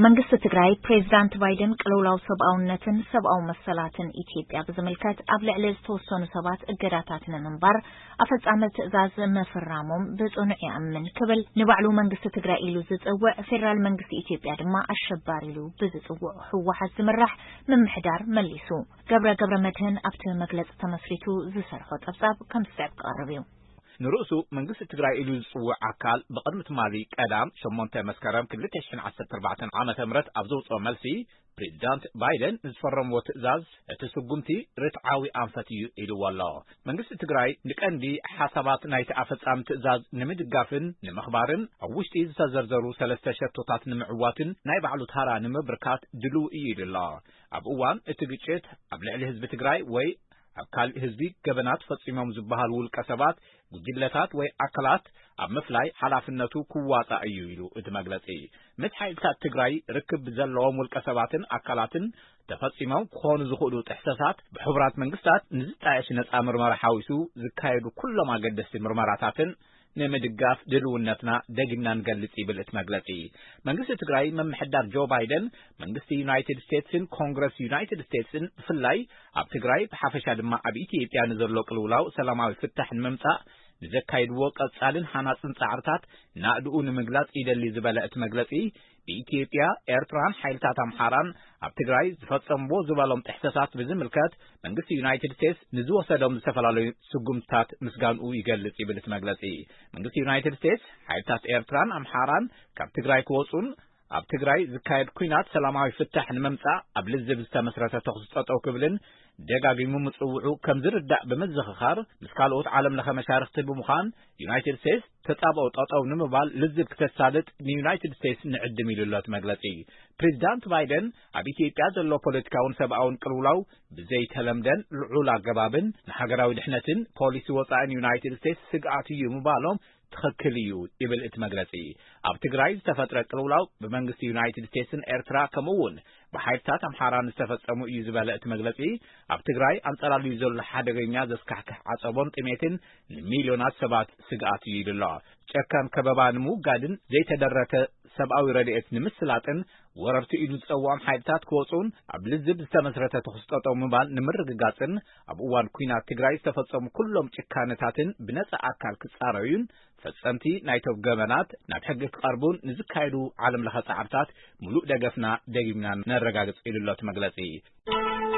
መንግስቲ ትግራይ ፕሬዝዳንት ባይደን ቅልውላው ሰብኣውነትን ሰብኣዊ መሰላትን ኢትዮጵያ ብዝምልከት ኣብ ልዕሊ ዝተወሰኑ ሰባት እገዳታት ንምንባር ኣፈጻሚ ትእዛዝ ምፍራሞም ብጽኑዕ ይኣምን ክብል ንባዕሉ መንግስቲ ትግራይ ኢሉ ዝጽውዕ ፌደራል መንግስቲ ኢትዮጵያ ድማ ኣሸባሪ ኢሉ ብዝጽውዕ ህወሓት ዝምራሕ ምምሕዳር መሊሱ። ገብረ ገብረ መድህን ኣብቲ መግለጺ ተመስሪቱ ዝሰርሖ ጸብጻብ ከም ዝስዕብ ክቐርብ እዩ። ንርእሱ መንግስቲ ትግራይ ኢሉ ዝጽውዕ ኣካል ብቕድሚ ትማሊ ቀዳም ሸሞንተ መስከረም ክልተ ሽሕን ዓሰርተ ኣርባዕተን ዓመተ ምህረት ኣብ ዘውጽኦ መልሲ ፕሬዚዳንት ባይደን ንዝፈረምዎ ትእዛዝ እቲ ስጉምቲ ርትዓዊ ኣንፈት እዩ ኢልዎ ኣሎ። መንግስቲ ትግራይ ንቀንዲ ሓሳባት ናይቲ ኣፈጻሚ ትእዛዝ ንምድጋፍን ንምኽባርን ኣብ ውሽጢ ዝተዘርዘሩ ሰለስተ ሸቶታት ንምዕዋትን ናይ ባዕሉ ታራ ንምብርካት ድልው እዩ ኢሉ ኣሎ። ኣብ እዋን እቲ ግጭት ኣብ ልዕሊ ህዝቢ ትግራይ ወይ ኣብ ካልእ ህዝቢ ገበናት ፈጺሞም ዝበሃሉ ውልቀ ሰባት፣ ጉጅለታት ወይ ኣካላት ኣብ ምፍላይ ሓላፍነቱ ክዋጻእ እዩ ኢሉ እቲ መግለጺ። ምስ ሓይልታት ትግራይ ርክብ ብዘለዎም ውልቀ ሰባትን ኣካላትን ተፈጺሞም ክኾኑ ዝኽእሉ ጥሕሰታት ብሕቡራት መንግስታት ንዝጣየሽ ነጻ ምርመራ ሓዊሱ ዝካየዱ ኩሎም ኣገደስቲ ምርመራታትን ንምድጋፍ ድልውነትና ደጊምና ንገልጽ ይብል እቲ መግለጺ። መንግስቲ ትግራይ ምምሕዳር ጆ ባይደን መንግስቲ ዩናይትድ ስቴትስን ኮንግረስ ዩናይትድ ስቴትስን ብፍላይ ኣብ ትግራይ ብሓፈሻ ድማ ኣብ ኢትዮጵያ ንዘሎ ቅልውላው ሰላማዊ ፍታሕ ንምምጻእ ንዘካይድዎ ቀጻልን ሃናጽን ጻዕርታት ናእድኡ ንምግላጽ ይደሊ ዝበለ እቲ መግለጺ ብኢትዮጵያ፣ ኤርትራን ሓይልታት ኣምሓራን ኣብ ትግራይ ዝፈጸምዎ ዝበሎም ጥሕሰታት ብዝምልከት መንግስቲ ዩናይትድ ስቴትስ ንዝወሰዶም ዝተፈላለዩ ስጉምትታት ምስጋንኡ ይገልጽ ይብል እቲ መግለጺ። መንግስቲ ዩናይትድ ስቴትስ ሓይልታት ኤርትራን ኣምሓራን ካብ ትግራይ ክወጹን ኣብ ትግራይ ዝካየድ ኲናት ሰላማዊ ፍታሕ ንምምጻእ ኣብ ልዝብ ዝተመስረተ ተኹሲ ጠጠው ክብልን ደጋጊሙ ምጽውዑ ከም ዝርዳእ ብምዝኽኻር ምስ ካልኦት ዓለም ለኸ መሻርኽቲ ብምዃን ዩናይትድ ስቴትስ ተጻብኦ ጠጠው ንምባል ልዝብ ክተሳልጥ ንዩናይትድ ስቴትስ ንዕድም ኢሉ ኣሎ እቲ መግለጺ። ፕሬዚዳንት ባይደን ኣብ ኢትዮጵያ ዘሎ ፖለቲካውን ሰብኣውን ቅልውላው ብዘይተለምደን ልዑል ኣገባብን ንሃገራዊ ድሕነትን ፖሊሲ ወጻእን ዩናይትድ ስቴትስ ስግኣት እዩ ምባሎም ትኽክል እዩ ይብል እቲ መግለጺ። ኣብ ትግራይ ዝተፈጥረ ቅልውላው ብመንግስቲ ዩናይትድ ስቴትስን ኤርትራ ከምኡ እውን ብሓይልታት ኣምሓራን ዝተፈጸሙ እዩ ዝበለ እቲ መግለጺ ኣብ ትግራይ ኣንጸላልዩ ዘሎ ሓደገኛ ዘስካሕክሕ ዓጸቦን ጥሜትን ንሚልዮናት ሰባት ስግኣት እዩ ኢሉ ኣሎ። ጨካን ከበባ ንምውጋድን ዘይተደረተ ሰብኣዊ ረድኤት ንምስላጥን ወረርቲ ኢሉ ዝጸውዖም ሓይልታት ክወጹን ኣብ ልዝብ ዝተመስረተ ተኹሲ ጠጠው ምባል ንምርግጋጽን ኣብ እዋን ኲናት ትግራይ ዝተፈጸሙ ኩሎም ጭካነታትን ብነጻ ኣካል ክጻረዩን ፈጸምቲ ናይቶም ገበናት ናብ ሕጊ ክቐርቡን ንዝካየዱ ዓለም ለኸ ጻዕርታት ሙሉእ ደገፍና ደጊምና ነረጋግጽ ኢሉ ኣሎ እቲ መግለጺ።